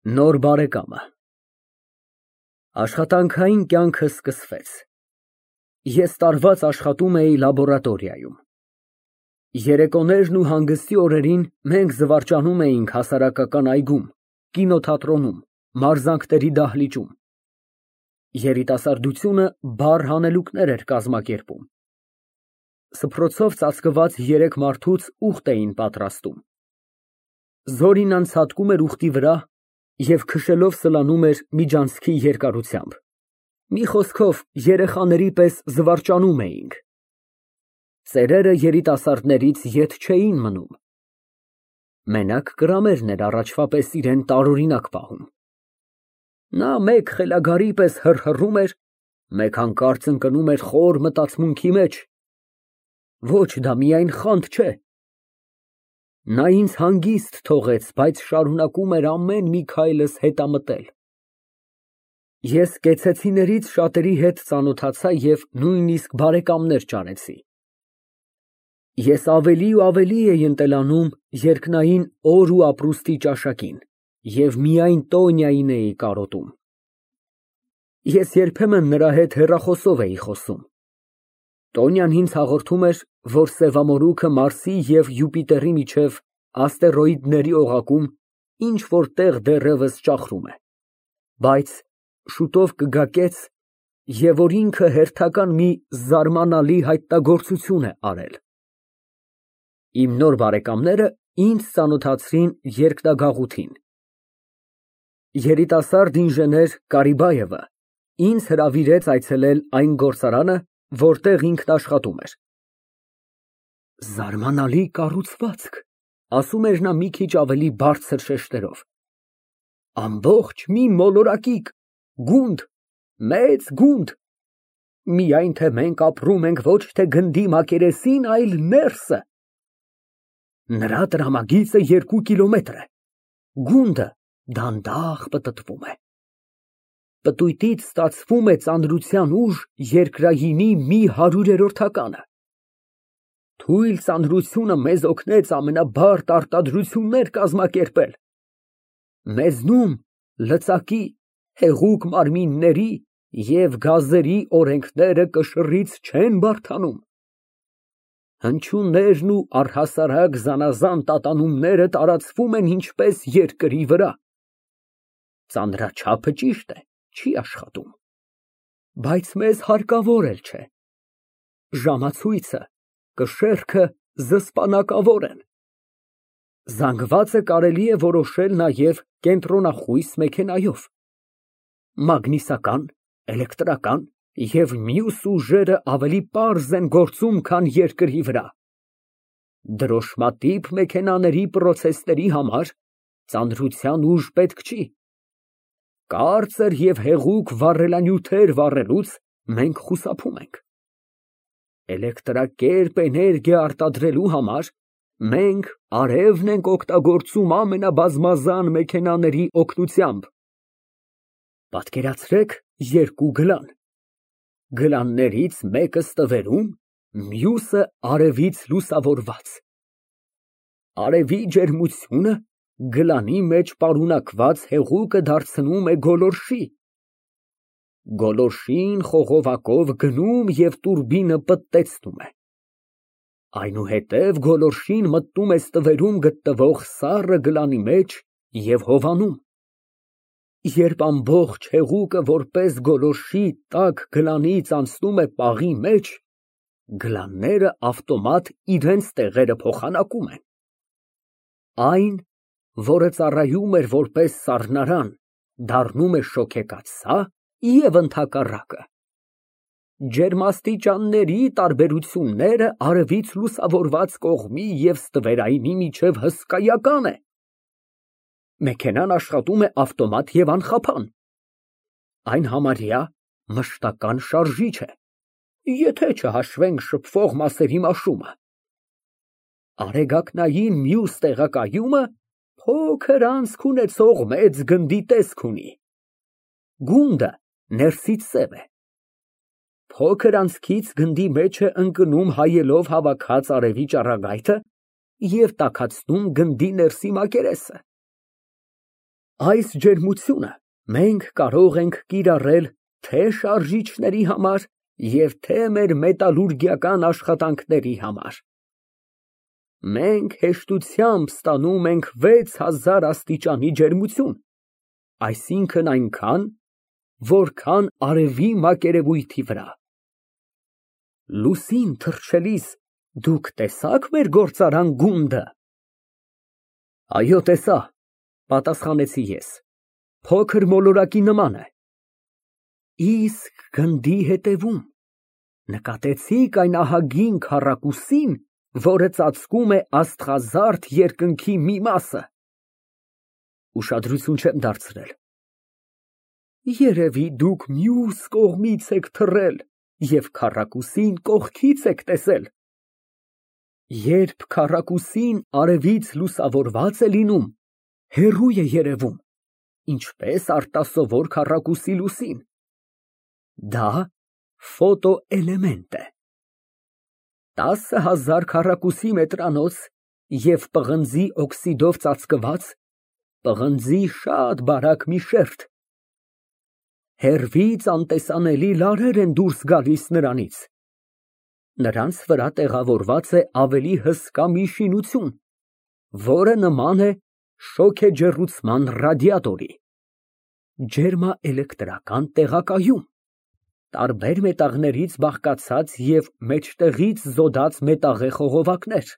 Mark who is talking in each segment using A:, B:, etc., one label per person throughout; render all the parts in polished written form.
A: Նոր բարեկամը։ Աշխատանքային կյանքը սկսվեց։ Ես տարված աշխատում էի լաբորատորիայում։ Երեկոներն ու հանգստի օրերին մենք զվարճանում էինք հասարակական այգում, կինոթատրոնում, մարզանքների դահլիճում։ Երիտասարդությունը բարդ հանելուկներ էր կազմակերպում։ Սփռոցով ծածկված երեք մարդուց ուղտ էին պատրաստում։ Զորինան ցատկում էր ուղտի վրա և քշելով սլանում էր միջանցքի երկարությամբ։ Մի խոսքով, երեխաների պես զվարճանում էինք։ Ծերերը երիտասարդներից ետ չէին մնում։ Մենակ կրամերն էր առաջվա պես իրեն տարօրինակ պահում։ Նա մեկ խելագարի պես հռհռում էր, մեկ հանկարծ ընկնում էր խոր մտածմունքի մեջ։ Ոչ, դա միայն խանդ չէ։ Նա ինձ հանգիստ թողեց, բայց շարունակում էր ամեն մի քայլս հետամտել։ Ես կեցեցիներից շատերի հետ ծանոթացա և նույնիսկ բարեկամներ ճանեցի։ Ես ավելի ու ավելի էի ընտելանում երկնային օր ու ապրուստի ճաշակին և միայն Տոնյային էի կարոտում։ Ես երբեմն նրա հետ հեռախոսով էի խոսում։ Տոնյան ինձ հաղորդում էր, որ սևամորուքը Մարսի և Յուպիտերի միջև աստերոիդների օղակում ինչ֊որ տեղ դեռևս ճախրում է, բայց շուտով կգա կեց, և որ ինքը հերթական մի զարմանալի հայտնագործություն է արել։ Իմ նոր բարեկամները ինձ ծանոթացրին երկնագաղութին։ Երիտասարդ ինժեներ Կարիբաևը ինձ հրավիրեց այցելել այն գործարանը, որտեղ ինքն աշխատում էր։ Զարմանալի կառուցվածք, ասում էր նա մի քիչ ավելի բարձր շեշտերով։ Ամբողջ մի մոլորակիկ, գունդ, մեծ գունդ։ Միայն թե մենք ապրում ենք ոչ թե գնդի մակերեսին, այլ ներսը։ Նրա տրամագիծը 2 կիլոմետր է։ Գունդը դանդաղ պտտվում է։ Պտույտից ստացվում է ծանրության ուժ երկրայինի մի 100-րդականը։ Թույլ ծանրությունը մեզ օգնեց ամենաբարդ արտադրություններ կազմակերպել։ Մեզնում լծակի, հեղուկ մարմինների և գազերի օրենքները կշռից չեն բարդանում։ Հնչյուններն ու առհասարակ զանազան տատանումները տարածվում են ինչպես երկրի վրա։ Ծանրաչափը ճիշտ է, չի աշխատում, բայց մեզ հարկավոր էլ չէ։ Ժամացույցը, կշեռքը զսպանակավոր են։ Զանգվածը կարելի է որոշել նաև կենտրոնախույս մեքենայով։ Մագնիսական, էլեկտրական և մյուս ուժերը ավելի պարզ են գործում, քան երկրի վրա։ Դրոշմատիպ մեքենաների պրոցեսների համար ծանրության ուժ պետք չի։ Կարծր և հեղուկ վառելանյութեր վառելուց մենք խուսափում ենք։ Էլեկտրակերպ էներգիա արտադրելու համար մենք արևն ենք օգտագործում ամենաբազմազան մեքենաների օգնությամբ։ Պատկերացրեք 2 գլան։ Գլաններից մեկը ստվերում, մյուսը արևից լուսավորված։ Արևի ջերմությունը գլանի մեջ պարունակված հեղուկը դարձնում է գոլորշի։ Գոլորշին խողովակով գնում և տուրբինը պտտեցնում է։ Այնուհետև գոլորշին մտնում է ստվերում գտնվող սառը գլանի մեջ և հովանում։ Երբ ամբողջ հեղուկը որպես գոլորշի տաք գլանից անցնում է պաղի մեջ, գլանները ավտոմատ իրենց տեղերը փոխանակում են։ Այն, որը ծառայում էր որպես սառնարան, դառնում է շոգեկաթսա և ընդհակառակը։ Ջերմաստիճանների տարբերությունները արևից լուսավորված կողմի և ստվերայինի միջև հսկայական է։ Մեքենան աշխատում է ավտոմատ և անխափան։ Այն համարյա մշտական շարժիչ է, եթե չհաշվենք շփվող մասերի մաշումը։ Արեգակնային մյուս տեղակայումը փոքր անցք ունեցող մեծ գնդի տեսք ունի։ Գունդը ներսից սև է։ Փոքր անցքից գնդի մեջ է ընկնում հայելով հավաքած արևի ճառագայթը և տաքացնում գնդի ներսի մակերեսը։ Այս ջերմությունը մենք կարող ենք կիրառել թե շարժիչների համար և թե մեր մետալուրգիական աշխատանքների համար։ Մենք հեշտությամբ ստանում ենք 6000 աստիճանի ջերմություն, այսինքն այնքան, որքան արևի մակերևույթի վրա։ Լուսին թռչելիս դուք տեսա՞ք մեր գործարան գունդը։ Այո, տեսա, պատասխանեցի ես, փոքր մոլորակի նման է։ Իսկ գնդի հետևում նկատեցի՞ք այն ահագին քառակուսին, որը ծածկում է աստղազարդ երկնքի մի մասը։ Ուշադրություն չեմ դարձրել։ Երևի դուք մյուս կողմից եք թռել և քառակուսին կողքից եք տեսել։ Երբ քառակուսին արևից լուսավորված է լինում, հեռու է երևում, ինչպես արտասովոր քառակուսի լուսին։ Դա ֆոտոէլեմենտ է։ 10000 քառակուսի մետրանոց և պղնձի օքսիդով ծածկված, պղնձի շատ բարակ մի շերտ։ Հեռվից անտեսանելի լարեր են դուրս գալիս նրանից։ Նրանց վրա տեղավորված է ավելի հսկա մի շինություն, որը նման է շոգեջեռուցման ռադիատորի։ Ջերմաէլեկտրական տեղակայում, տարբեր մետաղներից բաղկացած և մեջտեղից զոդած մետաղե խողովակներ։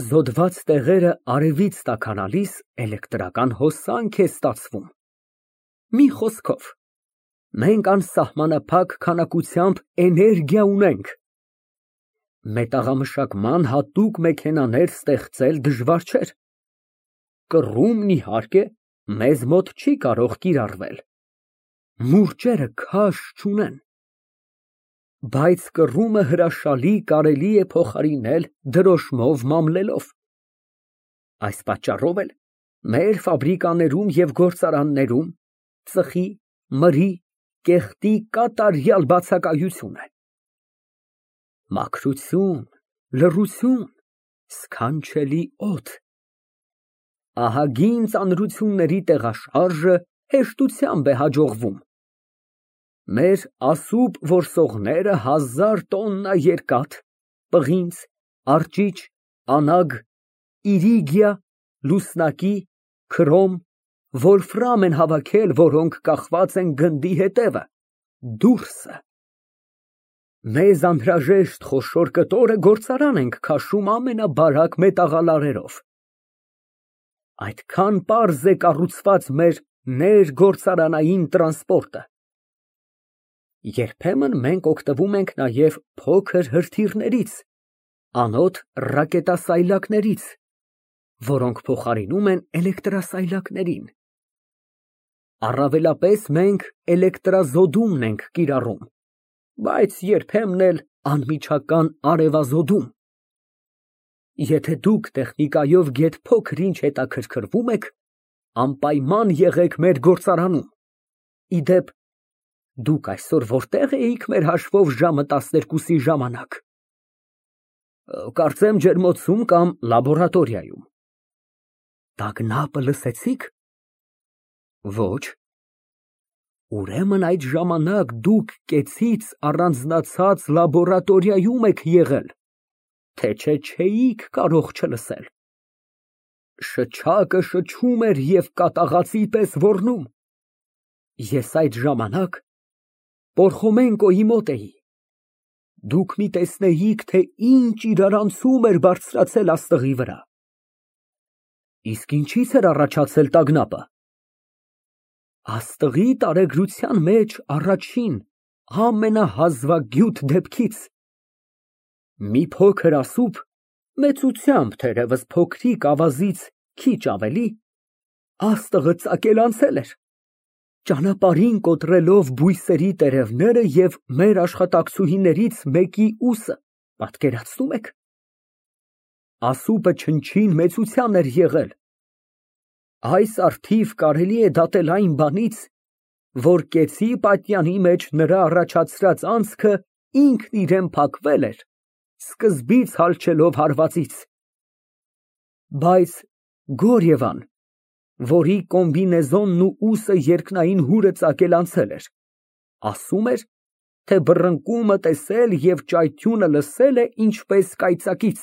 A: Զոդված տեղերը արևից տաքանալիս էլեկտրական հոսանք է ստացվում։ Մի խոսքով, մենք անսահմանափակ քանակությամբ էներգիա ունենք։ Մետաղամշակման հատուկ մեքենաներ ստեղծել դժվար չէր։ Կռումն, իհարկե, մեզ մոտ չի կարող կիրառվել։ Մուրճերը քաշ չունեն։ Բայց կռումը հրաշալի կարելի է փոխարինել դրոշմով մամլելով։ Այս պատճառով էլ մեր ֆաբրիկաներում և գործարաններում ծխի, մրի, կեղտի կատարյալ բացակայություն է։ Մաքրություն, լռություն, սքանչելի օդ։ Ահագին ծանրությունների տեղաշարժը հեշտությամբ է հաջողվում։ Մեր ասուբ որսողները 1000 տոննա երկաթ, պղինձ, արճիճ, անագ, իրիգիա, լուսնակի, քրոմ, վոլֆրամ են հավաքել, որոնք կախված են գնդի հետևը, դուրսը։ Մեզ անհրաժեշտ խոշոր կտորը գործարան ենք քաշում ամենաբարակ մետաղալարերով։ Այդքան պարզ է կառուցված մեր ներգործարանային տրանսպորտը։ Երբեմն մենք օգտվում ենք նաև փոքր հրթիռներից, անոթ ռակետասայլակներից, որոնք փոխարինում են էլեկտրասայլակներին։ Առավելապես մենք էլեկտրազոդումն ենք կիրառում, բայց երբեմն էլ անմիջական արևազոդում։ Եթե դուք տեխնիկայով գեթ փոքր-ինչ հետաքրքրվում եք, անպայման եղեք մեր գործարանում։ Ի դեպ, դուք այսօր որտե՞ղ էիք մեր հաշվով ժամը 12-ի ժամանակ։ Կարծեմ ջերմոցում կամ լաբորատորիայում։ Տագնապը լսեցի՞ք։ Ոչ։ Ուրեմն այդ ժամանակ դուք կեցից առանձնացած լաբորատորիայում եք եղել, թե չէ չէիք կարող չլսել։ Շչակը շչում էր և կատաղածի պես ոռնում։ Ես այդ ժամանակ Պորխոմենկոյի մոտ էի։ Դուք մի տեսնեիք, թե ինչ իրարանցում էր բարձրացել աստղի վրա։ Իսկ ինչի՞ց էր առաջացել տագնապը։ Աստղի տարեգրության մեջ առաջին, ամենահազվագյուտ դեպքից։ Մի փոքր ասուբ, մեծությամբ թերևս փոքրիկ ավազից քիչ ավելի, աստղը ծակելանցել էր, ճանապարհին կոտրելով բույսերի տերևները և մեր աշխատակցուհիներից մեկի ուսը, պատկերացնում եք։ Ասուբը չնչին մեծության էր եղել։ Այս առթիվ կարելի է դատել այն բանից, որ կեցի պատյանի մեջ նրա առաջացրած անցքը ինքն իրան փակվել էր, սկզբից հալչելով հարվածից։ Բայց, Գորիևան, որի կոմբինեզոնն ու ուսը երկնային հուրը ծակել անցել էր, ասում էր, թե բռնկումը տեսել և ճայթյունը լսել է ինչպես կայծակից։